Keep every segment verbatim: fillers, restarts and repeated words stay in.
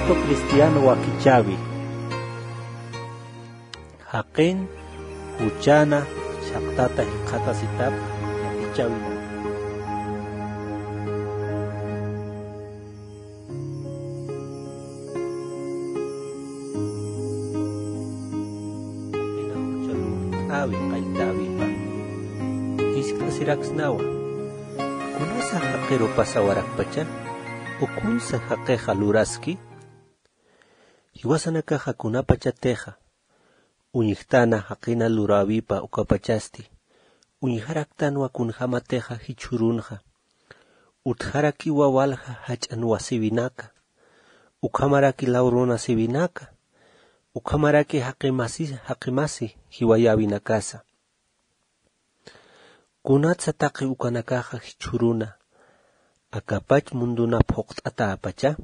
Cristo cristiano wakichäwi. Jaqin juchana chhaqtata jikxatasitap wakichäwinaka. Ina jucha lurt'äwi qalltäwipa. Jiskt'asiraksnawa. ¿Kunasa jaqiru pasawarakpacha? ¿Ukunsa jaqixa luraski? Jiwasanakaxa kunapachatixa uñjtana jaqina luräwipa ukapachasti uñjaraktanwa kunjämatixa jichhürunxa. Utjarakiwa walja jach'an wasiwinaka, ukhamaraki law runasiwinaka, ukhamaraki jaqi masi, jaqi masi jiwayäwinakasa. ¿Kunatsa taqi ukanakaxa jichhüruna akapach mundunap phuqt'atäpacha?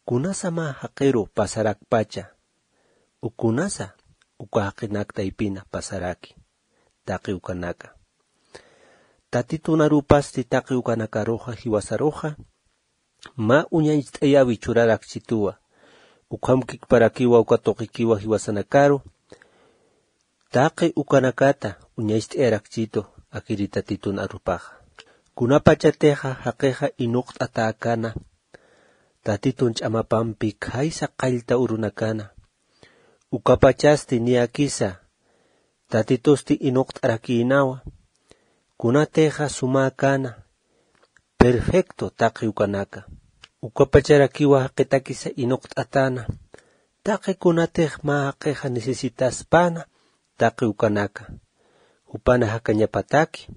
¿Kunasa mä jaqiru pasarakpacha? ¿Ukunasa uka jaqinak taypina pasaraki taqi ukanaka? Tatitun arupasti taqi ukanakaruxa jiwasaruxa mä uñacht'ayäwi churarakchituwa. Ukhamkikparakiwa uka tuqikiwa jiwasanakaru taqi ukanakata uñacht'ayarakchitu akiri Tatitun arupaxa. Kunapachatixa jaqixa inuqt'atäkana Tatitun ch'amapampi khaysa qallta urunakana, ukapachasti niyakisa Tatitusti inuqt'arakïnawa. Kunatixa sumäkana, perfecto taqi ukanaka. Ukapacharakiwa jaqitakisa inuqt'atäna taqi kunatix mä jaqixa necesitaspana taqi ukanaka. Jupana jakañapataki,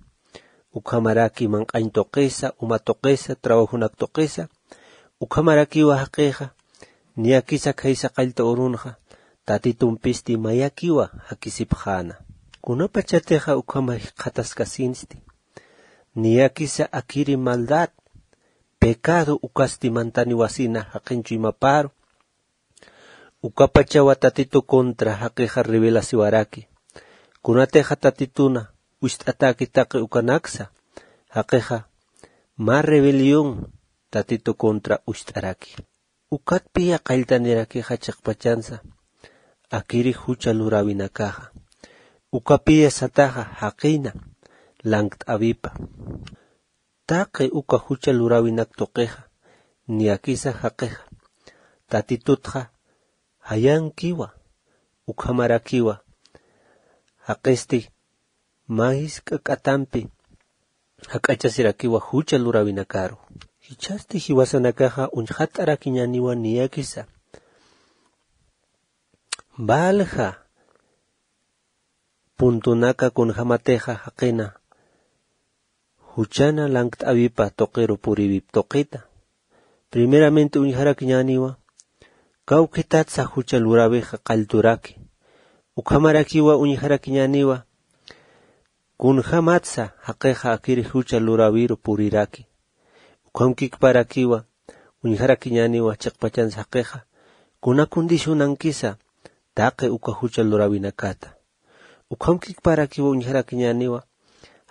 ukhamaraki manq'añ tuqisa, uma tuqisa, trabajonak tuqisa, ukhamarakiwa jaqixa niyakisa khaysa qallta urunxa Tatitumpisti mayakiwa jakisipxäna. Kunapachatixa ukhama jikxataskasinsti, niyakisa akiri maldad, pecado ukasti mantaniwasina jaqin chuymaparu, ukapachawa Tatitu contra jaqixa revelasiwaraki. Kunatixa Tatituna ucht'atäki taqi ukanaksa, jaqixa mä rebelión Tatitu contra ucht'araki. Ukatpiya qalltanirakixa chiqpachansa akiri jucha luräwinakaxa. Ukapiya sataxa jaqina lankt'äwipa. Taqi uka jucha luräwinak tuqixa, niyakisa jaqixa Tatitutxa jayankiwa, ukhamarakiwa jaqisti mä jisk'a k'atampi jak'achasirakiwa jucha luräwinakaru. Jichhasti jiwasanakaxa uñjat'arakiñäniwa niyakisa valja puntunaka kunjämatixa jaqina juchana lankt'äwipa tuqiru puriwip tuqita. Primeramente uñjarakiñäniwa kawkhitatsa jucha luräwixa qallturaki. Ukhamarakiwa uñjarakiñäniwa kunjämatsa jaqixa akiri jucha luräwiru puriraki. Ukhamkikparakiwa uñjarakiñäniwa chiqpachansa jaqixa kuna condicionankisa taqi uka jucha luräwinakata. Ukhamkikparakiwa uñjarakiñäniwa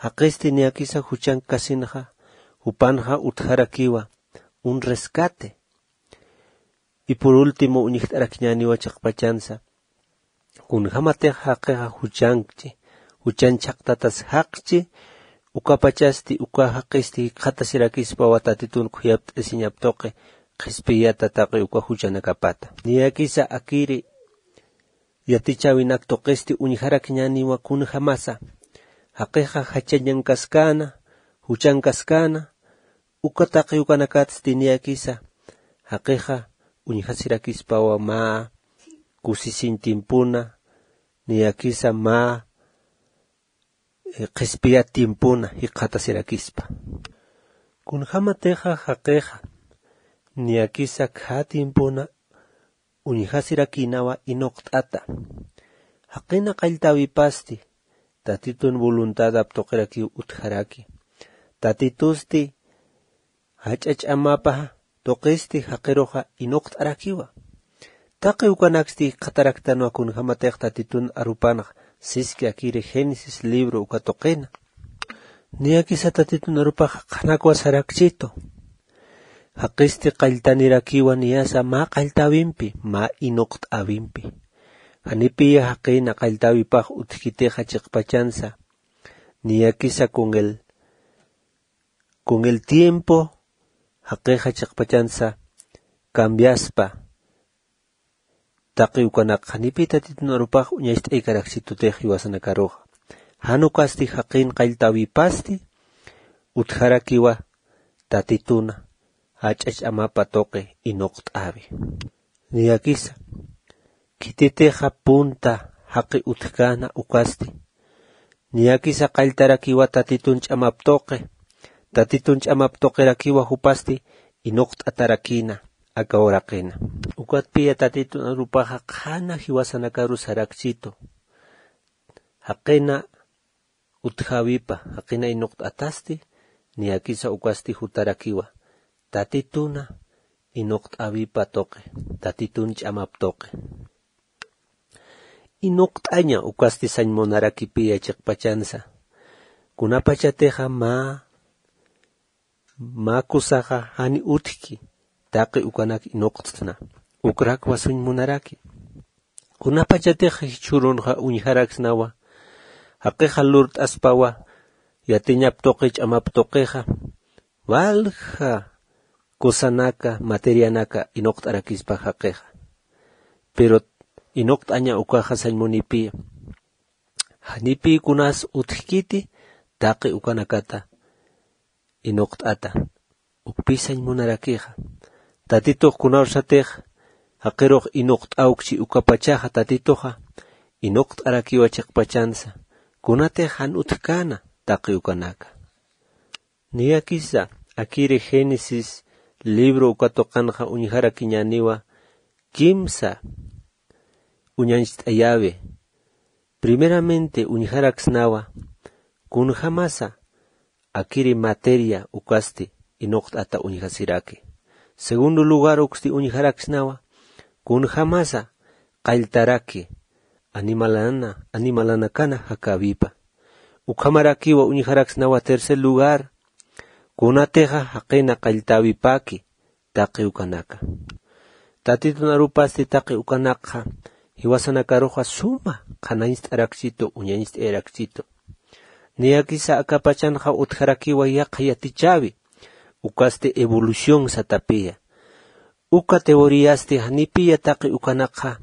jaqisti niyakisa juchankasinxa, jupanxa utjarakiwa un rescate. Y por último uñjt'arakiñäniwa chiqpachansa kunjämatix jaqixa juchankchi, juchan chhaqtatas jaqchi, ukapachasti uka jaqisti jikxatasirakispawa Tatitun khuyapt'asiñap tuqi qhispiyata taqi uka juchanakapata. Niyakisa akiri yatichäwinak tuqisti uñjarakiñäniwa kunjämasa jaqixa jachañankaskäna, juchankaskäna, uka taqi ukanakatsti niyakisa jaqixa uñjasirakispawa mä kusisiñ tiempona, niyakisa mä, eh, qhispiyat tiempona jikxatasirakispa. Kunjämatixa jaqixa niyakisa khä tiempona uñjasirakïnawa inuqt'ata. Jaqina qalltäwipasti Tatitun voluntadap tuqirakiw utjaraki. Tatitusti jach'a ch'amapa tuqisti jaqiruxa inuqt'arakiwa. Taqi ukanaksti jikxataraktanwa kunjämatix Tatitun arupanxa siski akiri Génesis libro uka tuqina. Niyakisa Tatitun arupaxa qhanakwa sarakchitu. Jaqisti qalltanirakiwa niyasa mä qalltäwimpi, mä inuqt'äwimpi. Janipiya jaqïna qalltäwipax utjkitixa chiqpachansa. Niyakisa con el, con el tiempo jaqixa chiqpachansa cambiaspa. Taqi ukanak janipi Tatitun arupax uñacht'aykarakchitutix jiwasanakaruxa. Jan ukasti jaqïn qalltäwipasti utjarakiwa Tatituna jach'a ch'amapa tuqi inuqt'äwi. Niyakisa khititixa punta jaqi utjkäna ukasti. Niyakisa qalltarakiwa Tatitun ch'amap tuqi. Tatitun ch'amap tuqirakiwa jupasti inuqt'atarakïna aka uraqina. Ukatpiya Tatitun arupaxa qhana jiwasanakaru sarakchitu. Jaqïna utjäwipa, jaqïna inuqt'atasti, niyakisa ukasti jutarakiwa Tatituna inuqt'äwipa tuqi, Tatitun ch'amap tuqi. Inuqt'aña ukasti sañ munarakipiya chiqpachansa. Kunapachatixa mä, mä kusaxa jani utjki, taqi ukanak inuqt'sna. Ukrakwa suñ munaraki. Kunapachatix jichhürunxa uñjaraksnawa, jaqixa lurt'aspawa, yatiñap tuqi, ch'amap tuqixa, walja kusanaka, materianaka inuqt'arakispa jaqixa. Pero inuqt'aña ukaxa sañ munipi. Janipi kunas utjkiti, taqi ukanakata inuqt'ata. Ukpi sañ munarakixa. Tatitux kunawsatix jaqirux inuqt'awkchi ukapachaxa Tatituxa, inuqt'arakiwa chiqpachansa, kunatix jan utjkäna taqi ukanaka. Niyakisa, akiri Génesis libro uka tuqanxa uñjarakiñäniwa kimsa uñañcht'ayäwi. Primeramente uñjaraksnawa, kunjamasa akiri materia ukasti inuqt'ata uñjasiraki. Segundo lugar, uksti uñjaraksnawa, kunjamasa qalltaraki animalana, animalanakana jakäwipa. Ukhamarakiwa uñjaraksnawa tercer lugar, kunatixa jaqina qalltäwipaki taqi ukanaka. Tatitun arupasti taqi ukanakxa jiwasanakaruxa suma qhanañcht'arakchitu, uñañcht'ayarakchitu. Niyakisa akapachanxa utjarakiwa yaqha yatichäwi, ukasti evolución satapiya. Uka teoriasti janipiya taqi ukanakxa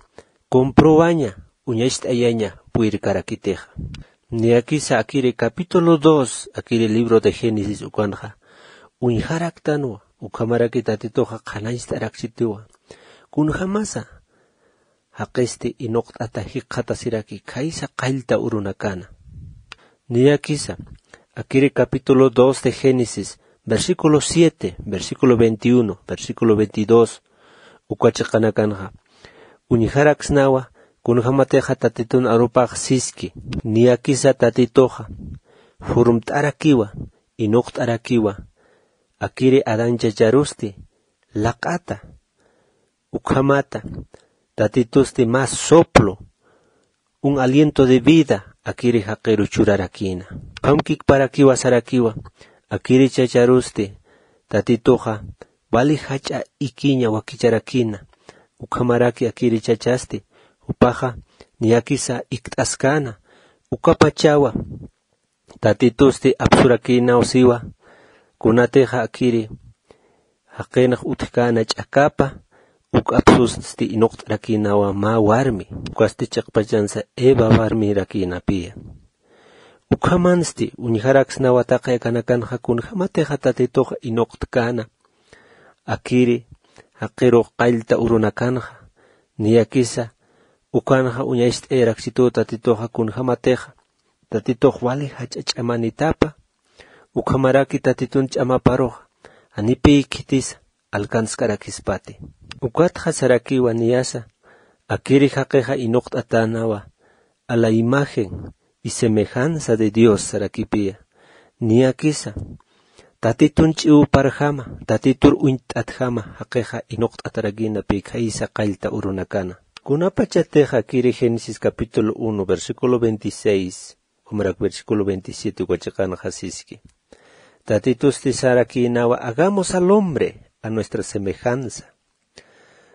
comprobaña, uñacht'ayaña purirkarakitixa. Niyakisa akiri capítulo dos, akiri libro de Génesis ukanxa uñjaraktanwa, ukhamaraki Tatituxa qhanañcht'arakchitiwa. Kunjamasa jaqisti inuqt'ata jikxatasiraki khaysa qallta urunakana. Niyakisa, akiri capítulo dos de Génesis, versículo siete, versículo veintiuno, versículo veintidós, uka chiqanakanxa uñjaraksnawa, kunjamatixa Tatitun arupax siski, niyakisa Tatituxa jurmt'arakiwa, inuqt'arakiwa, akiri Adán chacharusti laq'ata, ukhamata Tatitusti mä soplo, un aliento de vida akiri jaqiru churarakïna. Ukham kikparakiwa sarakiwa, akiri chacharusti Tatituxa wali jach'a ikiña wakicharakïna. Ukhamaraki akiri chachasti jupaxa niyakisa ikt'askäna, ukapachawa Tatitusti apsurakïnaw siwa, kunatixa akiri jaqinx utjkäna ch'akapa, uk apsusti inuqt'arakïnawa mä warmi, ukasti chiqpachansa Eva warmirakïnapiya. Ukhamansti uñjaraksnawa taqi akanakanxa kunjamatixa Tatitux inuqtkäna, akiri jaqirux qallta urunakanxa, niyakisa ukanxa uñacht'ayarakchituw Tatituxa kunjamatixa Tatitux wali jach'a ch'amanitapa, ukhamaraki Tatitun ch'amaparuxa janipï khitisa alcanzkarakispati. Ukatxa sarakiwa niyasa, akiri jaqixa inuqt'atänawa a la imagen y semejanza de Dios sarakipiya. Niyakisa Tatitun ch'iwparjama, Tatitur uñt'atjama jaqixa inuqt'atarakïna pï khaysa qallta urunakana. Kunapachatix akiri Génesis capítulo uno, versículo veintiséis, ukhamarak versículo veintisiete uka chiqanxa siski. Tatitusti sarakïnawa, hagamos al hombre a nuestra semejanza.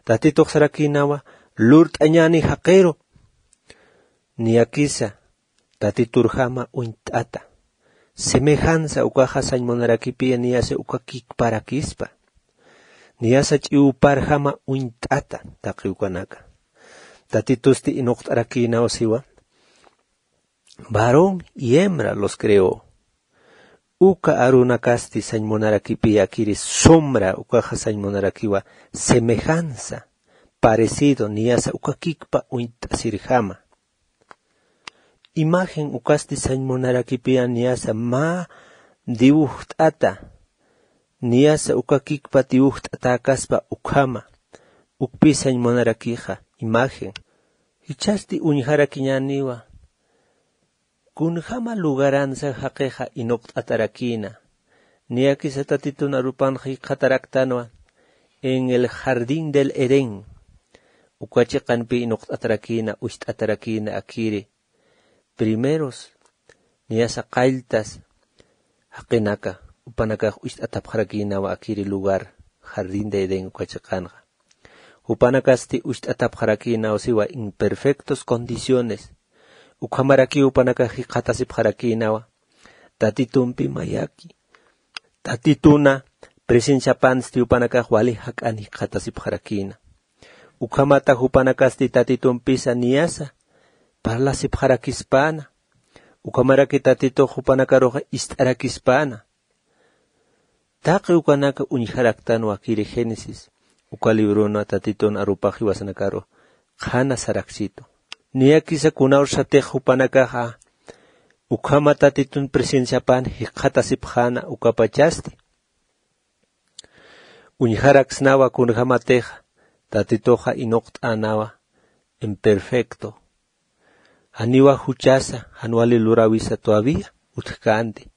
Tatitux sarakïnawa lurt'añäni jaqiru, niyakisa tatiturjama uñt'ata. Semejanza ukaxa sañ munarakipiya niyasa uka kikparakispa. Niyasa ch'iwparjama uñt'ata taqi ukanaka. Tatitusti inuqt'arakïnaw siwa, varón y hembra los creó. Uka arunakasti sañ munarakipiya akiri sombra ukaxa sañ munarakiwa semejanza, parecido, niyasa uka kikpa uñt'asirjama. Imagen ukasti sañ munarakipiya niyasa mä dibujt'ata, niyasa uka kikpa dibujt'atäkaspa ukhama, ukpi sañ munarakixa, imagen. Jichhasti uñjarakiñäniwa, kunjama lugaransa jaqixa inuqt'atarakïna. Niyakisa Tatitun arupanxa jikxataraktanwa, en el jardín del Edén. Uka chiqanpi inuqt'atarakïna, ucht'atarakïna akiri. Primeros, niyasa qalltas, jaqinaka, jupanakax ucht'atapxarakïnawa akiri lugar, jardín de Edén uka chiqanxa. Jupanakasti ucht'atapxarakïnaw siwa en perfectos condiciones. Ukhamarakiw jupanakax jikxatasipxarakïnawa. Tatitumpi mayaki. Tatituna presenciapansti jupanakax wali jak'an jikxatasipxarakïna. Ukhamata jupanakasti Tatitumpisa niyasa parlasipxarakispäna. Ukhamaraki Tatitux jupanakaruxa ist'arakispäna. Taqi ukanaka uñjaraktanwa akiri Génesis uka librona Tatitun arupax jiwasanakaru qhana saraksitu. Niyakisa kunawsatix jupanakaxa ukhama Tatitun presenciapan jikxatasipxäna ukapachasti. Uñjaraksnawa kunjamatixa Tatituxa inuqt'änawa en perfecto. Janiwa juchasa, jan wali luräwisa todavía utjkänti.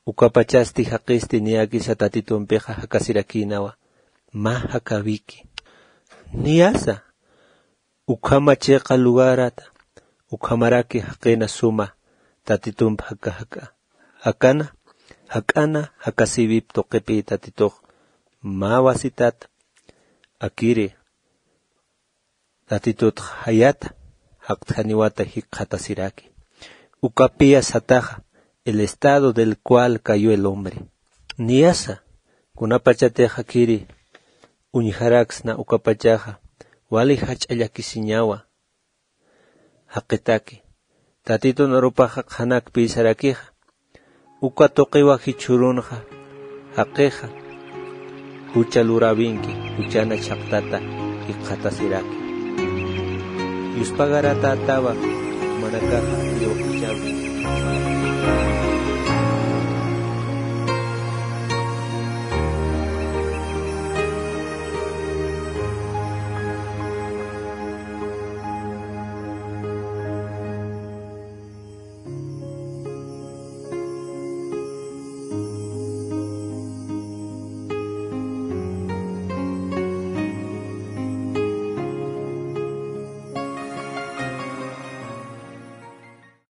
Ukapachasti jaqisti niyakisa Tatitumpixa jakasirakïnawa, mä jakäwiki. Niyasa, ukhama chiqa lugarata, ukhamaraki jaqina suma, Tatitump jaka jaka, jakana, jak'ana, jakasïwip tuqipï Tatitux, mä wasitata, akiri, Tatitutx jayata, jaqt'janiwata jikxatasiraki. Ukapiya sataxa, el estado del cual cayó el hombre. Niyasa, kunapachatix akiri, uñjaraksna ukapachaxa, wali jach'a llakisiñawa. Jaqitaki, Tatitun arupaxa qhanakpïsarakixa, uka tuqiwa jichhürunxa, jaqixa, jucha luräwinki, juchana chhaqtata jikxatasiraki. Yuspagaratätawa, jumanakaxa,